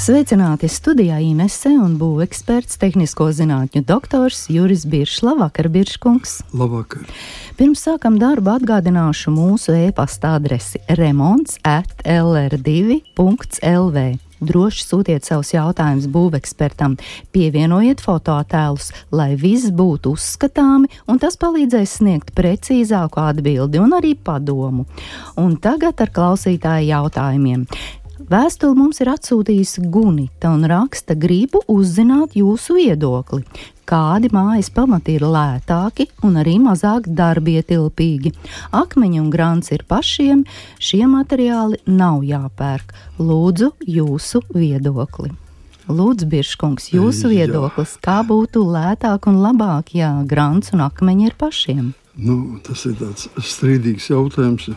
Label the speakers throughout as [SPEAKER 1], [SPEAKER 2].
[SPEAKER 1] Sveicināti studijā Inese un būveksperts, tehnisko zinātņu doktors Juris Biršs. Labvakar, Birškungs!
[SPEAKER 2] Labvakar!
[SPEAKER 1] Pirms sākam darbu atgādināšu mūsu e-pasta adresi remonts@lr2.lv. Droši sūtiet savus jautājumus būvekspertam, pievienojiet fotoattēlus, lai viss būtu uzskatāmi, un tas palīdzēs sniegt precīzāku atbildi un arī padomu. Un tagad ar klausītāju jautājumiem. Vēstuli mums ir atsūtījusi Gunita un raksta: gribu uzzināt jūsu viedokli. Kādi mājas pamati ir lētāki un arī mazāk darbietilpīgi? Akmeņi un grants ir pašiem, šie materiāli nav jāpērk. Lūdzu jūsu viedokli. Lūdzu, Birškungs, jūsu viedoklis, kā būtu lētāk un labāk, ja grants un akmeņi ir pašiem?
[SPEAKER 2] Tas ir tāds strīdīgs jautājums,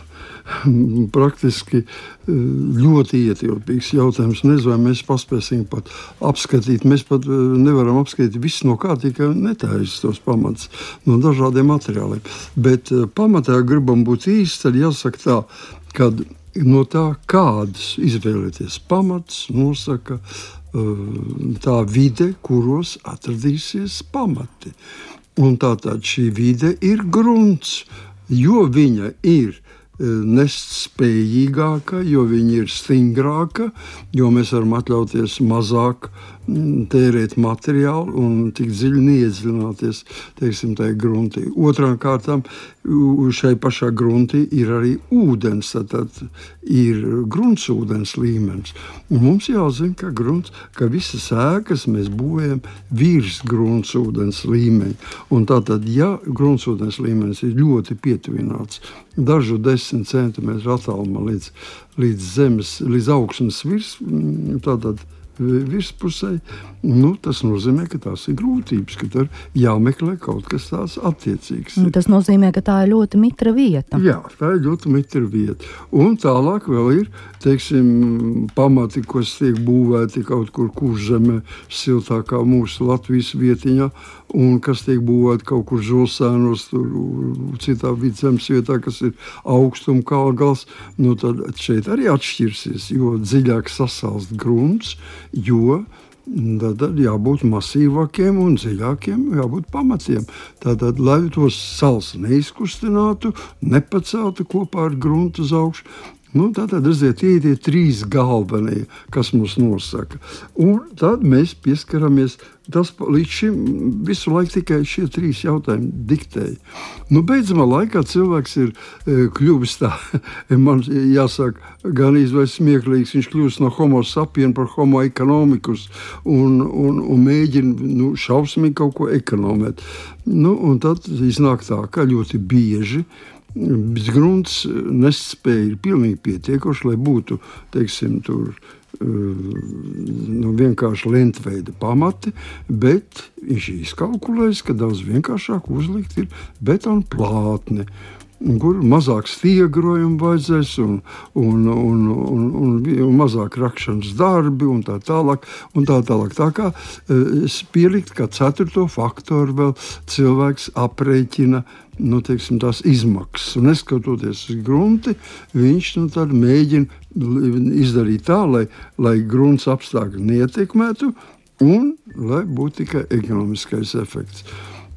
[SPEAKER 2] praktiski ļoti ietilpīgs jautājums. Nezinu, vai mēs paspēsim pat apskatīt. Mēs pat nevaram apskatīt visu no kā, tikai netājas tos pamats no dažādiem materiāliem. Bet pamatā gribam būt īsti, tad jāsaka tā, kad no tā, kādus izvēlēties pamats, nosaka tā vide, kuros atradīsies pamati. Un tātad šī vide ir grunts, jo viņa ir nest spējīgāka, jo viņa ir stingrāka, jo mēs varam atļauties mazāk tērēt materiālu un tik dziļi neiedziļināties, teiksim, tajā gruntī. Otrām kārtām, šai pašā gruntī ir arī ūdens, tad ir gruntsūdens līmenis. Un mums jāzina, ka visas ēkas mēs būvējam virs gruntsūdens līmeņa. Un tātad, ja gruntsūdens līmenis ir ļoti pietuvināts, dažu 10 centimetru attālumā līdz zemes, līdz augšas virspusē, tas nozīmē, ka tās ir grūtības, ka tur jāmeklē kaut kas tāds attiecīgs.
[SPEAKER 1] Tas nozīmē, ka tā ir ļoti mitra vieta.
[SPEAKER 2] Jā, tā ir ļoti mitra vieta. Un tālāk vēl ir, teiksim, pamati, kas tiek būvēti kaut kur Kurzemē, siltākā mūsu Latvijas vietiņā, un kas tiek būvēti kaut kur Žulsēnos, citā vidzemes vietā, kas ir augstuma kalgals, tad šeit arī atšķirsies, jo dziļāk sasalst grunts, jo tad jābūt masīvākiem un dziļākiem, jābūt pamatiem. Tātad, lai tos sals neizkustinātu, nepaceltu kopā ar gruntu uz augšu, tātad, redziet, tie trīs galvenie, kas mums nosaka. Un tad mēs pieskaramies, tas līdz šim visu laiku tikai šie trīs jautājumi diktēja. Beidzamā laikā cilvēks ir kļuvis tā, man jāsaka, gan izvai smieklīgs, viņš kļūst no homo sapien par homo economicus un mēģina šausmīgi kaut ko ekonomēt. Un tad iznāk tā, ka ļoti bieži grunts nespēja ir pilnīgi pietiekoši, lai būtu, teiksim, tur vienkārši lentveida pamati, bet viņš izkalkulēs, ka daudz vienkāršāk uzlikt ir betona plātne, kur mazāk stiegrojumu vajadzēs un mazāk rakšanas darbi un tā tālāk. Tā kā pielikt, kā ceturto faktoru vēl cilvēks aprēķina, teiksim, tās izmaksas. Un neskatoties uz grunti, viņš tad mēģina izdarīt tā, lai grunts apstākļi neietekmētu un lai būtu tikai ekonomiskais efekts.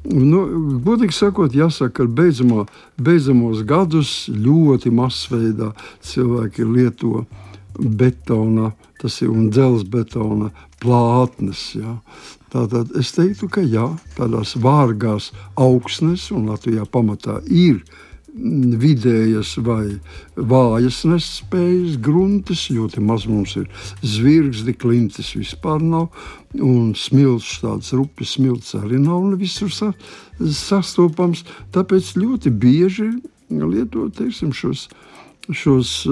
[SPEAKER 2] Godīgi sakot, jāsaka, ka beidzamos gadus ļoti masveidā cilvēki lieto betona, tas ir un dzelzbetona plātnes, jā. Tātad es teiktu, ka jā, tādās vārgās augsnes, un Latvijā pamatā ir vidējas vai vājas nespējas gruntis, ļoti maz mums ir zvirgzdi, klintis vispār nav, un smilts, tāds rupjas smilts arī nav visur sastopams, tāpēc ļoti bieži lietot, teiksim, šos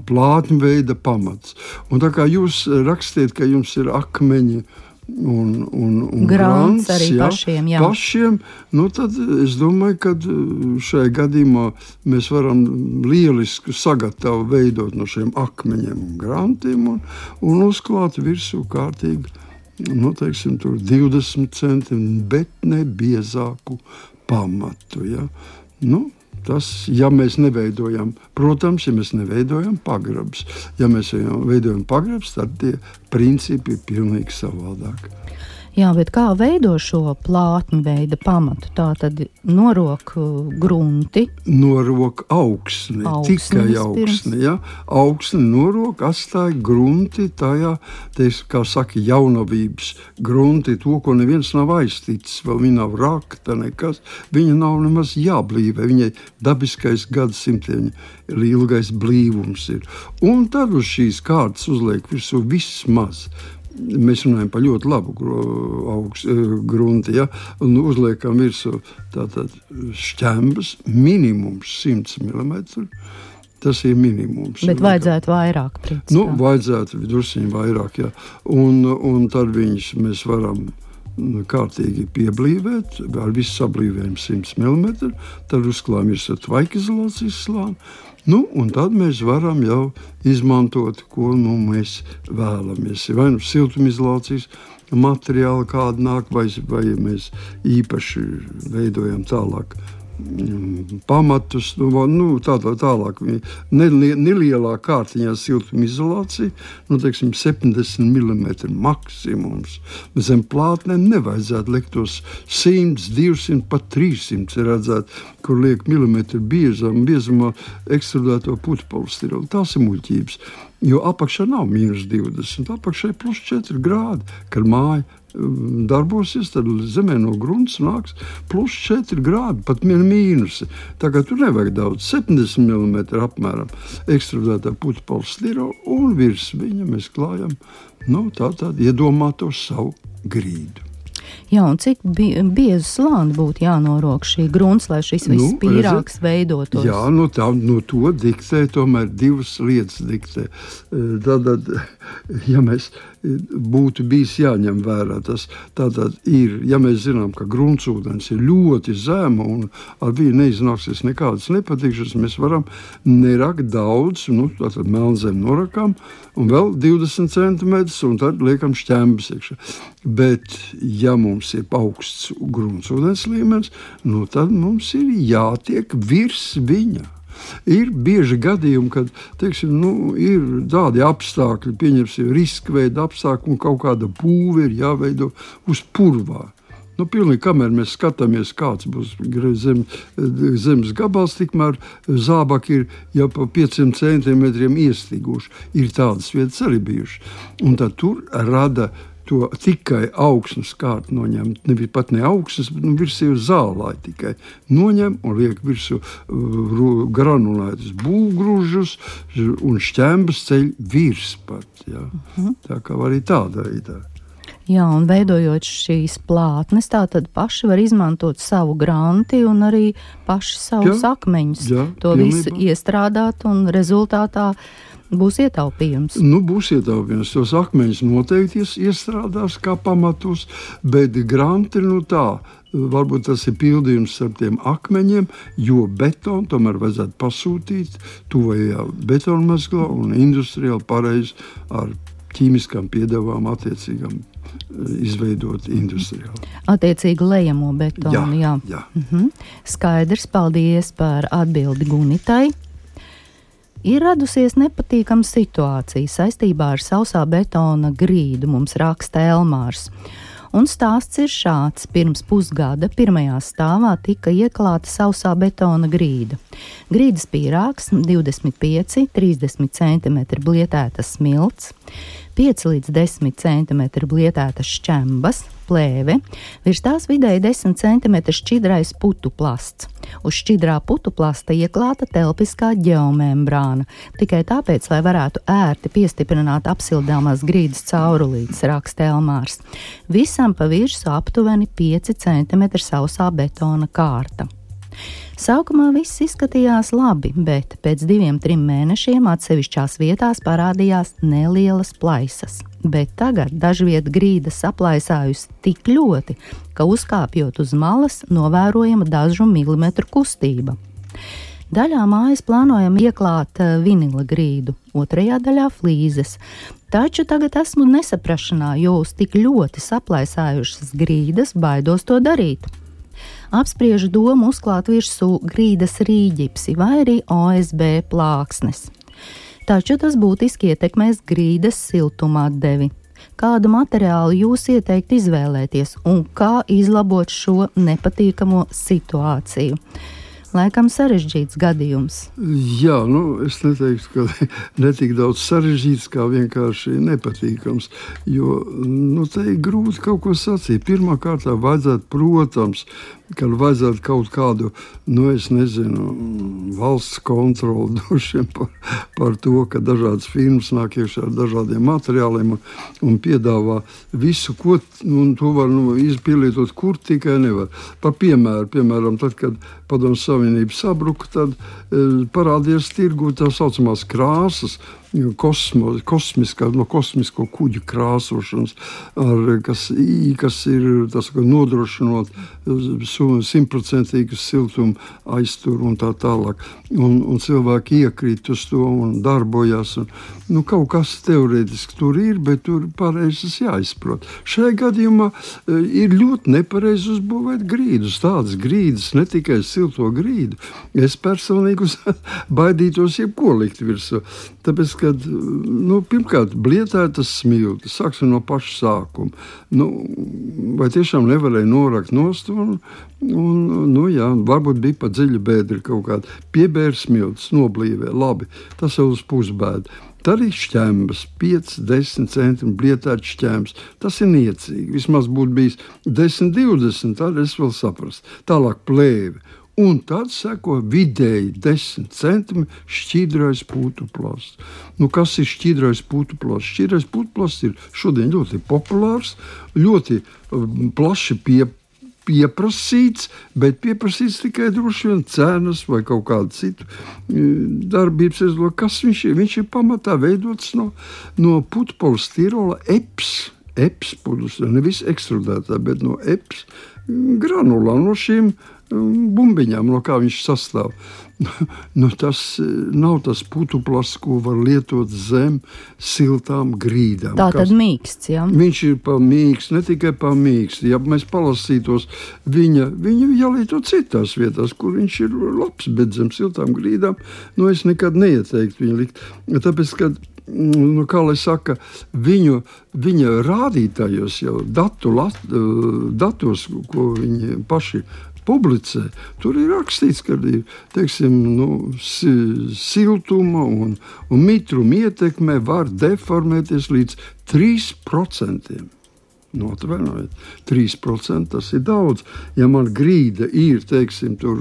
[SPEAKER 2] plātņveida pamats. Un tā kā jūs rakstiet, ka jums ir akmeņi un grants
[SPEAKER 1] arī
[SPEAKER 2] pašiem, tad es domāju, ka šajā gadījumā mēs varam lielisku sagatavu veidot no šiem akmeņiem un grantiem un uzklāt virsū kārtīgi, teiksim, tur 20 centimetru, bet ne biezāku pamatu, ja. Tas, ja mēs neveidojam, protams, ja mēs neveidojam pagrabus. Ja mēs veidojam pagrabus, tad tie principi ir pilnīgi savādāk.
[SPEAKER 1] Jā, bet kā veido šo plātņu veida pamatu? Tā tad norok grunti.
[SPEAKER 2] Norok augsni, tikai augsni. Ja? Augsni norok, atstāja grunti tajā, kā saka, jaunavības grunti, to, ko neviens nav aizticis, vēl viņa nav rakta nekas, viņa nav nemaz jāblīvē, viņai dabiskais gadsimtiem ilgais blīvums ir. Un tad uz šīs kārtas uzliek virsū vismaz. Mēs runājam par ļoti labu grunti, ja? Un uzliekam virsū tātad šķembas, minimums 100 mm. Tas ir minimums.
[SPEAKER 1] Bet vajadzētu vairāk.
[SPEAKER 2] Vajadzētu drusciņi vairāk, jā. Un tad mēs varam kārtīgi pieblīvēt, ar visu sablīvējumu 100 mm, tad uzklājam virsū tvaikizolācijas slāni. Un tad mēs varam jau izmantot, ko mēs vēlamies. Vai siltumizolācijas materiāli kāda nāk, vai mēs īpaši veidojam tālāk pamatus, tālāk nelielā kārtiņā siltumizolācija, teiksim 70 mm maksimums. Zem plātnēm nevajadzētu likt tos 100, 200, pat 300 redzēt, kur liek milimetru biezumā ekstrudēto putupolistirolu. Tās ir muļķības, jo apakšā nav -20, apakšā ir +4 grādi, kad māja darbosies, tad zemē no grunts nāks +4 grādi, pat mīnusi. Tagad tur nevajag daudz, 70 mm apmēram ekstrudētā putupolistirolu, un virs viņa mēs klājam, tātad iedomāto savu grīdu.
[SPEAKER 1] Jā, un cik biezu slāni būtu jānorok šī grunts, lai šis viss pīrāgs veidotos? Jā,
[SPEAKER 2] to diktē, tomēr divas lietas diktē. Tātad, ja mēs būtu bijis jāņem vērā, tas tātad ir, ja mēs zinām, ka gruntsūdens ir ļoti zema un ar viņu neiznāksies nekādas nepatikšanas, mēs varam nerakt daudz, tātad melnzem norakam un vēl 20 cm un tad liekam šķembas iekšā. Bet, ja mums ir augsts gruntsūdens līmenis, tad mums ir jātiek virs viņa. Ir bieži gadījumi, kad, ir tādi apstākļi, pieņemsim, riska veida apstākļi un kaut kāda būve ir jāveido uz purvā. Pilnīgi, kamēr mēs skatāmies, kāds būs zemes gabals, tikmēr zābaki ir jau pa 500 centimetriem iestiguši. Ir tādas vietas arī bijušas. Un tad tur rada to tikai augsnes kārtu noņemt, pat ne augsnes, bet virsū zālāji tikai noņem un liek virsū granulētus būvgrūžus un šķembas ceļ virs pat. Jā. Tā kā arī tāda veidā.
[SPEAKER 1] Jā, un veidojot šīs plātnes, tātad paši var izmantot savu granti un arī paši savus akmeņus. To visu iestrādāt un rezultātā būs ietaupījums.
[SPEAKER 2] Būs ietaupījums. Tos akmeņus noteikti iestrādās kā pamatus, bet granti, varbūt tas ir pildījums ar tiem akmeņiem, jo betonu tomēr vajadzētu pasūtīt tuvajā betonmezglā un industriāli pareizi ar ķīmiskām piedevām attiecīgām izveidot industriāli.
[SPEAKER 1] Attiecīgi lejamo betonu, jā. Skaidrs, paldies par atbildi Gunitai. Ir radusies nepatīkama situācija saistībā ar sausā betona grīdu, mums raksta Elmārs. Un stāsts ir šāds. Pirms pusgada pirmajā stāvā tika ieklāta sausā betona grīda. Grīdas pīrāgs 25–30 cm blietētas smilts, 5 līdz 10 cm blietētas šķembas, plēve, virs tās vidēji 10 cm šķidrais putuplasts. Uz šķidrā putuplasta ieklāta telpiskā ģeomembrāna, tikai tāpēc, lai varētu ērti piestiprināt apsildāmās grīdas caurulītes, raksta Elmārs. Visam pa virsmu aptuveni 5 cm sausā betona kārta. Sākumā viss izskatījās labi, bet pēc 2–3 mēnešiem atsevišķās vietās parādījās nelielas plaisas. Bet tagad dažviet grīda saplaisājusi tik ļoti, ka uzkāpjot uz malas novērojama dažu milimetru kustība. Daļā mājas plānojam ieklāt vinila grīdu, otrajā daļā flīzes. Taču tagad esmu nesaprašanā, jo uz tik ļoti saplaisājušas grīdas baidos to darīt. apspriež domu uzklāt virsū grīdas rīģipsi vai arī OSB plāksnes. Taču tas būtiski ietekmēs grīdas siltuma atdevi. Kādu materiālu jūs ieteikt izvēlēties un kā izlabot šo nepatīkamo situāciju? Laikam sarežģīts gadījums.
[SPEAKER 2] Jā, es neteiktu, ka netik daudz sarežģīts, kā vienkārši nepatīkams, jo, te ir grūti kaut ko sacīt. Pirmā kārtā vajadzētu, protams, ka vajadzētu kaut kādu, es nezinu, valsts kontroli droši par to, ka dažādas firmas nāk iekšā ar dažādiem materiāliem un piedāvā visu, ko, to var izpielietot, kur tikai nevar. Par piemēram, tad, kad Padomju Savienība sabruka, tad parādījās tirgu tā saucamās krāsas, kosmisko kuģu krāsošanas, kas ir nodrošinot 100% siltumu aizturu un tā tālāk. Un cilvēki iekrīt uz to un darbojās. Kaut kas teorētiski tur ir, bet tur pareizes jāizprot. Šajā gadījumā ir ļoti nepareizi uzbūvēt grīdus. Tādas grīdas, ne tikai silto grīdu. Es personīgi baidītos jebko likt virsū. Tāpēc, kad, pirmkārt, blietētas smiltis, sāksim no paša sākuma. Vai tiešām nevarēja norakt nost un varbūt bija pa dziļu bēdri kaut kāda. Piebēra smiltis, noblīvē, labi, tas jau uz pusbēdu. Tad ir šķembas, 5-10 centimetri blietēts šķembs. Tas ir niecīgi. Vismaz būtu bijis 10-20, tad es vēl saprastu. Tālāk plēve. Un tad seko vidēji 10 centimetri šķidrais putuplasts. Kas ir šķidrais putuplasts? Šķidrais putuplasts ir šodien ļoti populārs, ļoti plaši pieprasīts, bet pieprasīts tikai droši vien cenas vai kaut kādu citu darbības rezultātu. Kas viņš ir? Viņš ir pamatā veidots no putpolistīrola EPS pudus, nevis ekstrudētā, bet no EPS granulām, no šīm bumbiņām, no kā viņš sastāv. Tas nav tas putuplasts, ko var lietot zem siltām grīdām.
[SPEAKER 1] Tā tad mīksts, jā?
[SPEAKER 2] Viņš ir pa mīksts, ne tikai pa mīksts. Ja mēs palasītos, viņa jālieto citās vietās, kur viņš ir labs, bet zem siltām grīdām, es nekad neieteiktu viņu likt. Tāpēc, kad kā lai saka, viņa rādītājos jau datos, ko viņi paši publicē, tur ir rakstīts, ka ir, siltuma un mitruma ietekmē var deformēties līdz 3%. Atvainojiet, 3% tas ir daudz. Ja man grīda ir, tur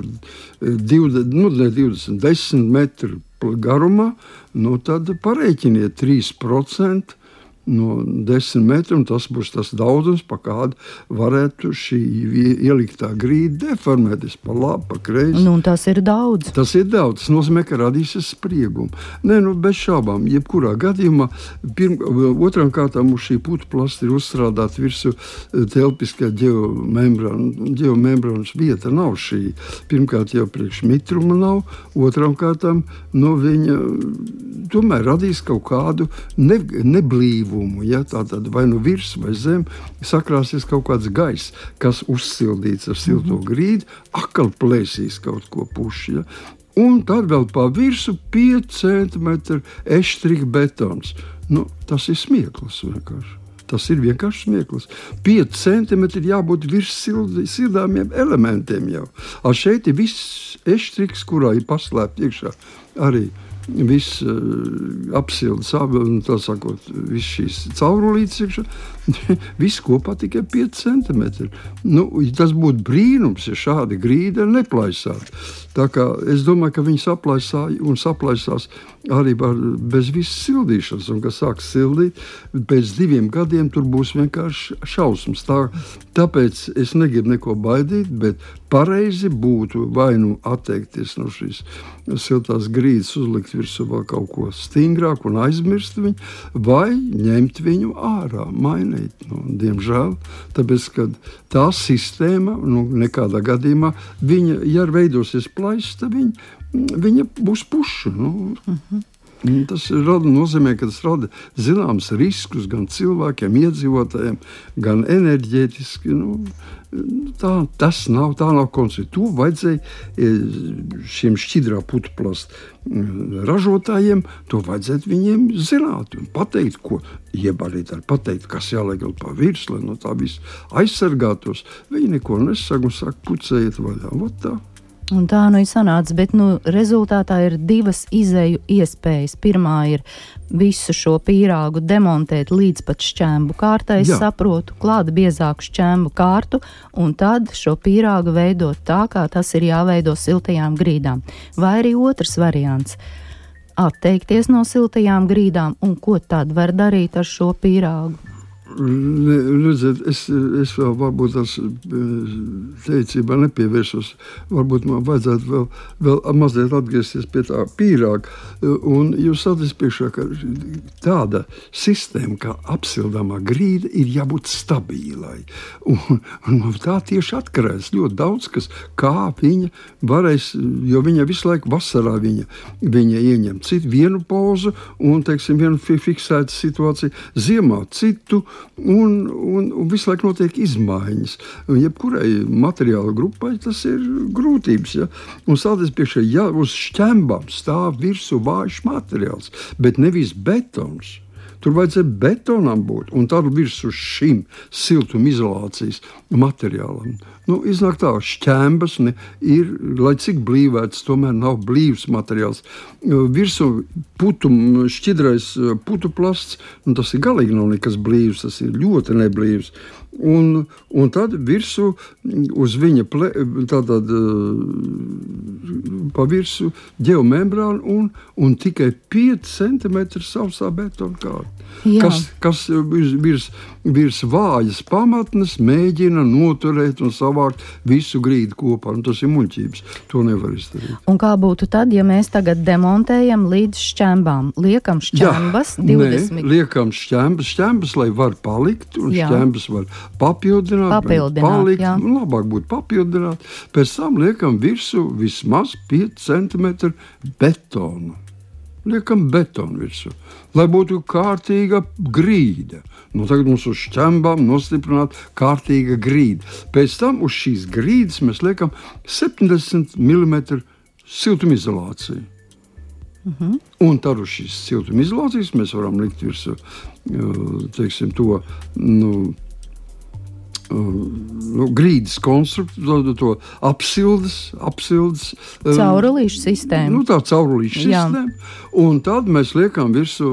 [SPEAKER 2] 10 metru garumā, tad parēķiniet 3% no 10 metriem, tas būs tas daudzums, pa kādu varētu šī ieliktā grīda deformēties pa labi, pa kreisi.
[SPEAKER 1] Tas ir daudz.
[SPEAKER 2] Tas ir daudz. Tas nozīmē, ka radīsies spriegumi. Bez šābām, jebkurā gadījumā, otram kārtām uz šī putuplasta ir uzstrādāta virsū telpiskā ģeomembrāna. Ģeomembrānas vieta nav šī. Pirmkārt jau priekš mitruma nav, otram kārtām viņa tomēr radīs kaut kādu neblīvu. Ja, tātad vai virs vai zem sakrāsies kaut kāds gaiss, kas uzsildīts ar silto grīdu, akal plēsīs kaut ko puši. Ja. Un tad vēl pa virsu 5 centimetru eštrika betons. Tas ir smieklis vienkārši. Tas ir vienkārši smieklis. 5 centimetri jābūt virs sildāmiem elementiem jau. Šeit ir viss eštriks, kurā ir paslēpt iekšā arī viss apsildes, tā sakot, viss šīs caurulītes iekšā, viss kopā tikai 5 centimetri. Tas būtu brīnums, ja šādi grīda neplaisātu. Tā kā es domāju, ka viņi saplaisās arī bez visas sildīšanas, un kad sāks sildīt, pēc 2 gadiem tur būs vienkārši šausmas. Tāpēc es negribu neko baidīt, bet pareizi būtu vai atteikties no šīs siltās grīdas, uzlikt virsū vēl kaut ko stingrāku un aizmirst viņu, vai ņemt viņu ārā, mainīt. Diemžēl, tāpēc, ka tā sistēma, nekādā gadījumā, viņa, ja veidosies plaisa, tad viņa būs puša. Tas nozīmē, ka tas rada zināms riskus gan cilvēkiem, iedzīvotājiem, gan enerģētiski. Tā nav koncepcija. To vajadzēja šiem šķidrā putuplastu ražotājiem, to vajadzētu viņiem zināt un pateikt, ko iebalīt ar pateikt, kas jāliek pa virsmu, lai no tā viss aizsargātos. Viņi neko nesaka un saka, pucējiet vaļā. Tā.
[SPEAKER 1] Un tā ir sanāca, bet rezultātā ir divas izeju iespējas. Pirmā ir visu šo pīrāgu demontēt līdz pat šķēmbu kārtai, es saprotu, klāt biezāku šķēmbu kārtu, un tad šo pīrāgu veidot tā, kā tas ir jāveido siltajām grīdām. Vai arī otrs variants – atteikties no siltajām grīdām, un ko tad var darīt ar šo pīrāgu?
[SPEAKER 2] Redziet, es vēl varbūt tās teicībā nepievērsos. Varbūt man vajadzētu vēl mazliet atgriezties pie tā pīrāga. Un jūs saties priekšā, ka tāda sistēma, kā apsildāmā grīda, ir jābūt stabilai. Un tā tieši atkarēs ļoti daudz, kā viņa varēs, jo viņa visu laiku vasarā viņa ieņem citu vienu pozu un, teiksim, vienu fiksētu situāciju, ziemā citu, un visu laiku notiek izmaiņas. Jebkurai materiāla grupai tas ir grūtības. Ja? Un sāties priekšā, ja uz šķembām stāv virsū vājš materiāls, bet nevis betons. Tur vajadzēja betonam būt, un tad virsū šim siltumizolācijas materiālam. Iznāk tā, šķembas ir, lai cik blīvēts, tomēr nav blīvs materiāls. Virsū šķidrais putuplasts, tas ir galīgi nav nekas blīvs, tas ir ļoti neblīvs. Un tad virsū uz viņa pa virsu geomembrānu un tikai 5 cm sausā betona kārta. Kas virs vājas pamatnes mēģina noturēt un savākt visu grīdu kopā. Tas ir muļķības. To nevar izdarīt. Un
[SPEAKER 1] kā būtu tad, ja mēs tagad demontējam līdz šķembām? Liekam šķembas 20?
[SPEAKER 2] Liekam šķembas, lai var palikt, un šķembas var papildināt, palikt. Labāk būtu papildināt. Pēc tam liekam virsū vismaz 5 cm betonu. Liekam betonu virsū, lai būtu kārtīga grīda. Tagad mums uz šķembām nostiprināt kārtīga grīda. Pēc tam uz šīs grīdas mēs liekam 70 mm siltumizolāciju. Un tad uz šīs siltumizolācijas mēs varam likt virsū, teiksim, to, grīdas konstruktu, to apsildes
[SPEAKER 1] caurulīšu sistēmu.
[SPEAKER 2] Tā caurulīšu sistēma. Un tad mēs liekam virsū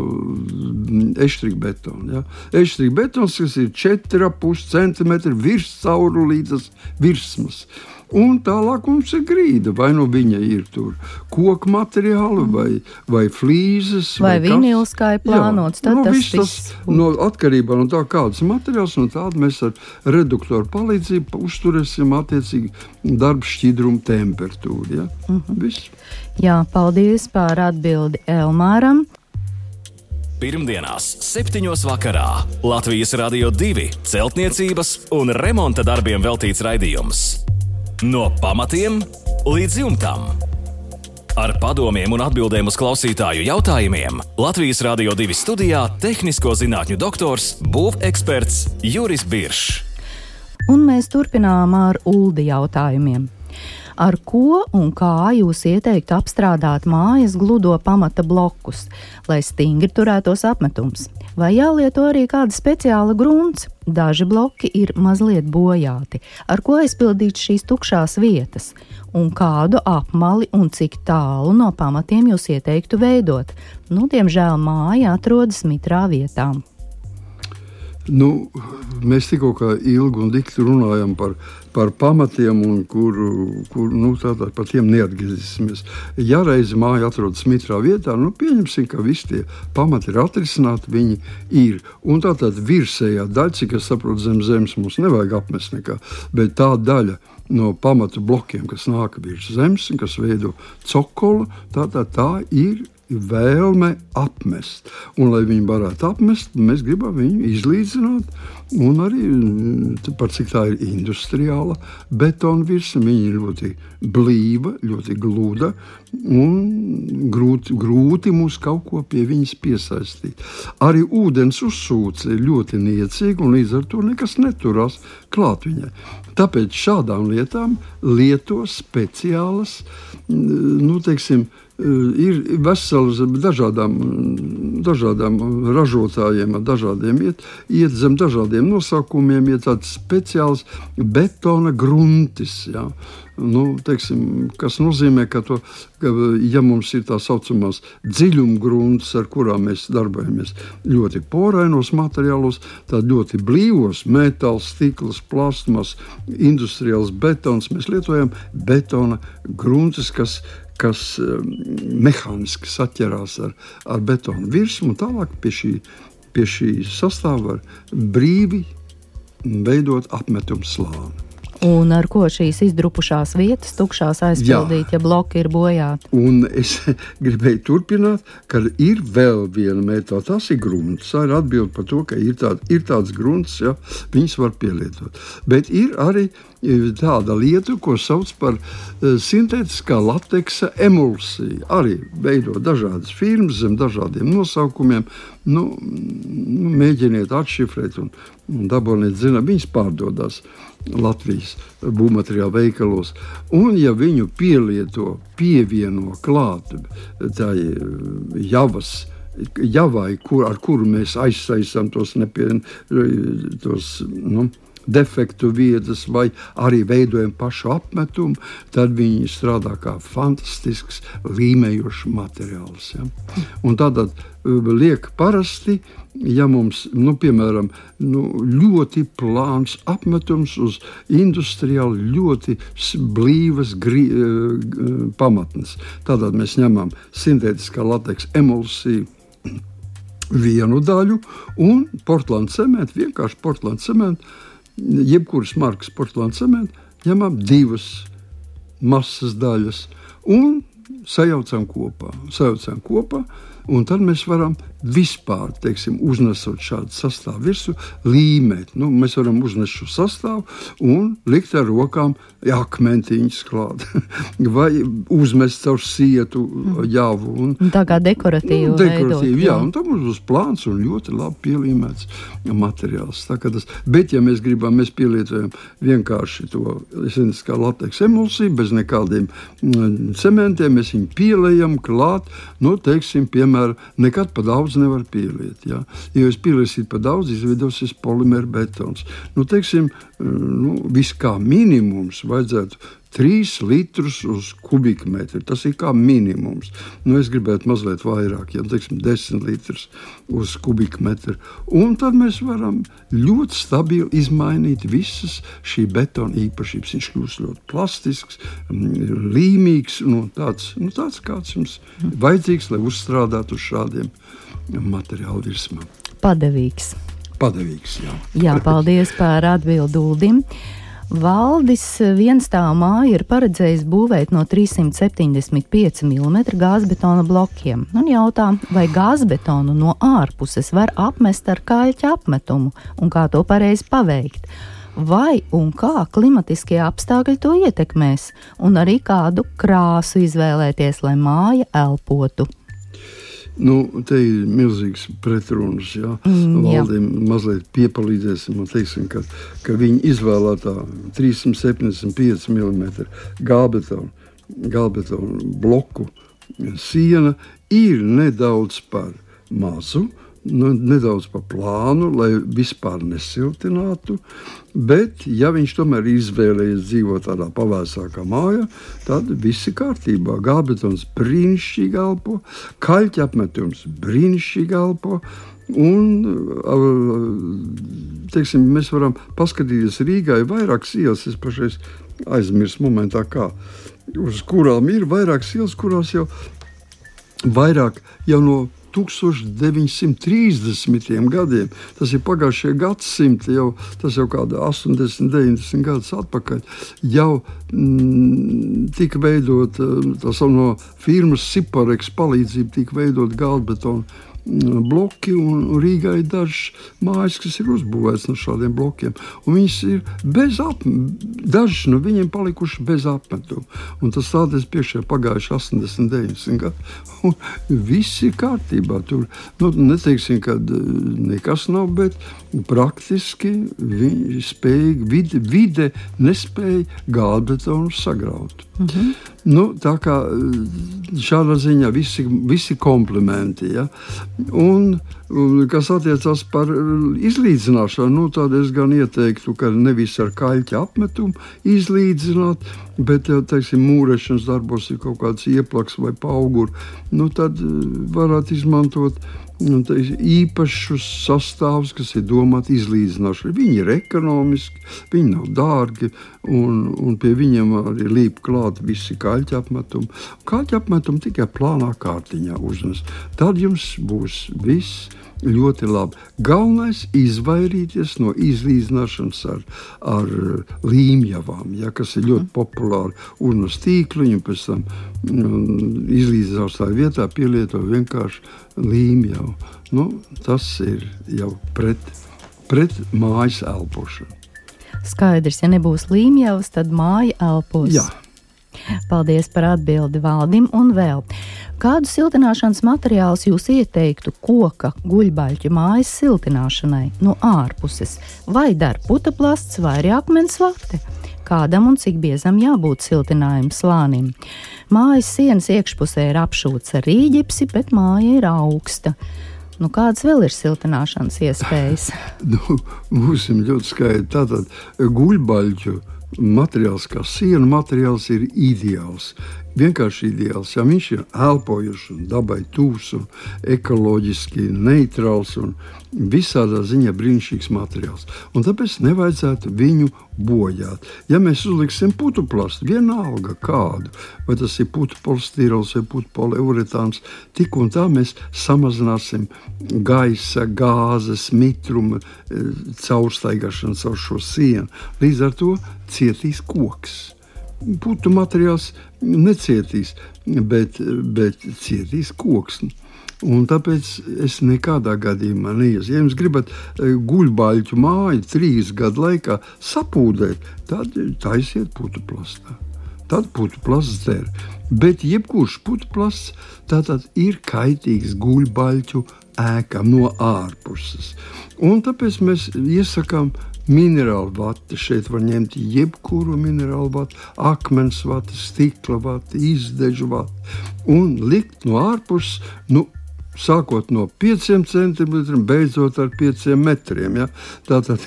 [SPEAKER 2] eštrika betonu. Ja? Eštrika betons, kas ir 4,5 cm virs caurulītas virsmas. Un tālāk mums ir grīda. Vai viņa ir tur koku materiāli, vai flīzes,
[SPEAKER 1] vai vinils, kā ir plānots. Tad tas
[SPEAKER 2] atkarībā no tā, kāds materiāls, no tāda mēs ar reduktoru palīdzību uzturēsim attiecīgi darba šķidrumu temperatūru. Ja? Viss.
[SPEAKER 1] Jā, paldies par atbildi Elmāram.
[SPEAKER 3] Pirmdienās 7. vakarā Latvijas Radio 2 celtniecības un remonta darbiem veltīts raidījums. No pamatiem līdz jumtam. Ar padomiem un atbildēm uz klausītāju jautājumiem Latvijas Radio 2 studijā tehnisko zinātņu doktors, būveksperts Juris Biršs.
[SPEAKER 1] Un mēs turpinām ar Uldi jautājumiem. Ar ko un kā jūs ieteiktu apstrādāt mājas gludo pamata blokus, lai stingri turētos apmetums? Vai jālieto arī kāda speciāla grunts? Daži bloki ir mazliet bojāti. Ar ko aizpildīt šīs tukšās vietas? Un kādu apmali un cik tālu no pamatiem jūs ieteiktu veidot? Diemžēl māja atrodas mitrā vietā.
[SPEAKER 2] Mēs tikko ilgi un dikti runājam par pamatiem, un kur tātad par tiem neatgriezīsimies. Ja reiz māja atrodas mitrā vietā, pieņemsim, ka visi tie pamati ir atrisināti, viņi ir. Un tātad virsējā daļa, cik es saprotu, zem zemes mums nevajag apmest nekā, bet tā daļa no pamatu blokiem, kas nāk virs zemes, kas veido cokolu, tā ir vēlme apmest. Un, lai viņi varētu apmest, mēs gribam viņu izlīdzināt. Un arī par cik tā ir industriāla betona virsma, viņa ir ļoti blīva, ļoti gluda un grūti mūs kaut ko pie viņas piesaistīt. Arī ūdens uzsūce ir ļoti niecīga un līdz ar to nekas neturās klāt viņai. Tāpēc šādām lietām lieto speciālas, ir veselas dažādām ražotājiem, dažādiem iet zem dažādiem nosaukumiem, ir tāds speciāls betona gruntis, ja? Kas nozīmē, ka ja mums ir tā saucamās dziļumgruntas, ar kurām mēs darbojamies ļoti porainos materiālos, tad ļoti blīvos metāls, stikls, plastmas, industriāls betons, mēs lietojam betona gruntis, kas mehāniski saķerās ar betonu virsmu, un tālāk pie šī sastāva var brīvi veidot apmetumu slāni.
[SPEAKER 1] Un ar ko šīs izdrupušās vietas tukšās aizpildīt, ja bloki ir bojāti?
[SPEAKER 2] Un es gribēju turpināt, ka ir vēl viena metoda, tas ir grunts. Tā ir atbilde par to, ka ir tāds grunts, ja, viņas var pielietot. Bet ir arī tāda lieta, ko sauc par sintētiskā lateksa emulsija. Arī veido dažādas firmas zem dažādiem nosaukumiem. Mēģiniet atšifrēt un daboniet zināt, viņas pārdodās Latvijas būvmateriālu veikalos. Un ja viņu pievieno klāt tā javai, ar kuru mēs aizsaistām tos defektu vietas vai arī veidojam pašu apmetumu, tad viņi strādā kā fantastisks līmējošs materiāls. Ja? Un tātad liek parasti, ja mums, piemēram, ļoti plāns apmetums uz industriāli ļoti blīvas pamatnes. Tātad mēs ņemam sintētiskā lateksa emulsiju vienu daļu un portland cementu, vienkārši portland cementu, jebkuras markas portland cementu, ņemam divas masas daļas un sajaucam kopā. Un tad mēs varam vispār, uznesot šādu sastāvu virsmu, līmēt. Mēs varam uznest šo sastāvu un likt ar rokām akmentiņus klāt. Vai uzmest caur sietu javu.
[SPEAKER 1] Tā kā dekoratīvu veidot.
[SPEAKER 2] Jā, un tam mums būs plāns un ļoti labi pielīmēts materiāls. Bet, ja mēs gribam, mēs pielietojam vienkārši to sintētiskā lateksa emulsiju, bez nekādiem cementiem, mēs viņu pielējam klāt, piemēram, nekad pa daudz nevar pieliet. Ja? Ja jūs pieliesiet pa daudz, izveidosies polimēra betons. Viss kā minimums vajadzētu 3 litrus uz kubikmetru. Tas ir kā minimums. Es gribētu mazliet vairāk, 10 litrus uz kubikmetru. Un tad mēs varam ļoti stabili izmainīt visas šī betona īpašības. Viņš kļūst ļoti plastisks, līmīgs, tāds kāds jums vajadzīgs, lai uzstrādātu uz šādiem materiālu virsmām.
[SPEAKER 1] Padevīgs, jā. Jā, paldies par atbildi Uldim. Valdis vienstāvu māju ir paredzējis būvēt no 375 mm gāzbetona blokiem. Un jautā, vai gāzbetonu no ārpuses var apmest ar kaļķa apmetumu un kā to pareizi paveikt? Vai un kā klimatiskie apstākļi to ietekmēs? Un arī kādu krāsu izvēlēties, lai māja elpotu?
[SPEAKER 2] Te ir milzīgs pretrunas, jā. Valdiem mazliet piepalīdzēsim un teiksim, ka viņi izvēlētā 375 mm gābetonu bloku siena ir nedaudz par mazu, nedaudz pa plānu, lai vispār nesiltinātu, bet ja viņš tomēr izvēlējies dzīvot tādā pavēsākā mājā, tad viss ir kārtībā. Gābetons brīnišķīgi elpo, kaļķa apmetums brīnišķīgi elpo, un mēs varam paskatīties Rīgā, ir vairākas ielas, es pašais aizmirsu momentā kā, uz kurām ir vairākas ielas, kurās jau vairāk jau no 1930. gadiem. Tas ir pagājušajā gadsimta, tas jau kāda 80, 90 gadus atpakaļ. Jau tika veidot, no firmas Siparex palīdzību tika veidot galdbetonu bloki, un Rīgā ir dažas mājas, kas ir uzbūvētas no šādiem blokiem. Un viņas ir bez dažas no viņiem palikuši bez apmetuma. Un tas stādēs priekšā pagājuši 80, 90 gadu. Un viss ir kārtībā. Tur, neteiksim, ka nekas nav, bet praktiski viņi spēja, vide nespēja galdbetonu sagraut. Tā kā šādā ziņā visi komplimenti, ja? Un kas attiecās par izlīdzināšanu, tad es gan ieteiktu, ka nevis ar kaļķa apmetumu izlīdzināt, bet, teiksim, mūrešanas darbos ir kaut kāds ieplaks vai pauguri, tad varētu izmantot īpašus sastāvus, kas ir domāti izlīdzināšanai. Viņi ir ekonomiski, viņi nav dārgi, un pie viņiem arī līp klāt visi kaļķa apmetumi. Kaļķa apmetumi tikai plānā kārtiņā uznes. Tad jums būs viss ļoti labi. Galvenais izvairīties no izlīdzināšanas ar līmjavām, kas ir ļoti populāri. Uznes tīkliņu, pēc tam izlīdzināšanas vietā pielieto vienkārši līmjavu. Tas ir jau pret mājas elpošanu.
[SPEAKER 1] Skaidrs, ja nebūs līmjavas, tad māja elpos.
[SPEAKER 2] Jā.
[SPEAKER 1] Paldies par atbildi Valdim, un vēl. Kādu siltināšanas materiālus jūs ieteiktu koka guļbaļķu mājas siltināšanai no ārpuses? Vai dar putaplasts vai arī akmens vate? Kādam un cik biezam jābūt siltinājuma slānim? Mājas sienas iekšpusē ir apšūts ar rīģipsi, bet māja ir augsta. Kādas vēl ir siltināšanas iespējas?
[SPEAKER 2] Būsim ļoti skaidri. Tātad guļbaļķu materiāls, kā sienu materiāls, ir ideāls. Vienkārši ideāls. Ja viņš ir elpojušs un dabai tūs un ekoloģiski neitrāls un visādā ziņā brīnišķīgs materiāls. Un tāpēc nevajadzētu viņu bojāt. Ja mēs uzliksim putuplastu, vienalga kādu, vai tas ir putupolistirols vai putupoleuretāns, tik un tā mēs samazināsim gaisa, gāzes, mitruma caurstaigāšanu caur šo sienu. Līdz ar to cietīs koks. Putu materiāls necietīs, bet cietīs koks. Un tāpēc es nekādā gadījumā neiešu. Ja jums gribat guļbaļķu māju 3 gadu laikā sapūdēt, tad taisiet putuplastā. Tad putuplasts der. Bet jebkurš putuplasts tātad ir kaitīgs guļbaļķu ēkām no ārpuses. Un tāpēc mēs iesakām minerālu vati. Šeit var ņemt jebkuru minerālu vati, akmens vati, stikla vati, izdežu vati un likt no ārpuses, sākot no 5 centimetriem, beidzot ar 5 metriem. Ja? Tātad,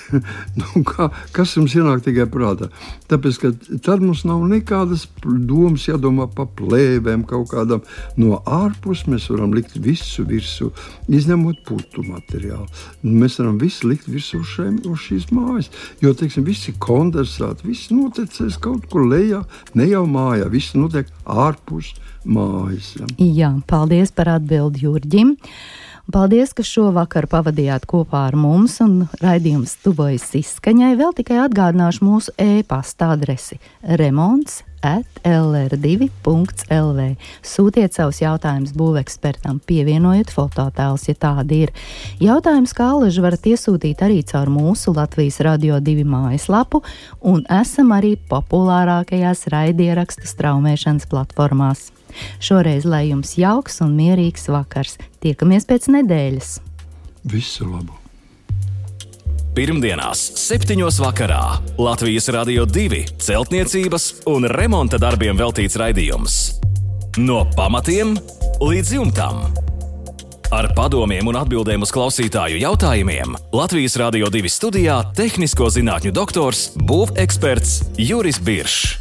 [SPEAKER 2] kas jums ienāk tikai prātā? Tāpēc, ka tad mums nav nekādas domas jādomā par plēvēm kaut kādam. No ārpus mēs varam likt visu virsū, izņemot putu materiālu. Mēs varam visu likt virsū uz šīs mājas, jo, teiksim, visi kondensāti, viss notecēs kaut kur lejā, ne jau mājā, viss notiek ārpus mājas. Ja?
[SPEAKER 1] Jā, paldies par atbildi Jurģim. Paldies, ka šovakar pavadījāt kopā ar mums un raidījums tuvojas izskaņai. Vēl tikai atgādināšu mūsu e-pasta adresi remonts@lr2.lv. Sūtiet savus jautājumus būvekspertam, pievienojot fototēlus, ja tādi ir. Jautājums kā alaži varat iesūtīt arī caur mūsu Latvijas Radio 2 mājaslapu un esam arī populārākajās raidierakstu straumēšanas platformās. Šoreiz lai jums jauks un mierīgs vakars. Tiekamies pēc nedēļas.
[SPEAKER 2] Visu labu!
[SPEAKER 3] Pirmdienās 7. vakarā Latvijas Radio 2 celtniecības un remonta darbiem veltīts raidījums. No pamatiem līdz jumtam. Ar padomiem un atbildēm uz klausītāju jautājumiem Latvijas Radio 2 studijā tehnisko zinātņu doktors, būveksperts Juris Biršs.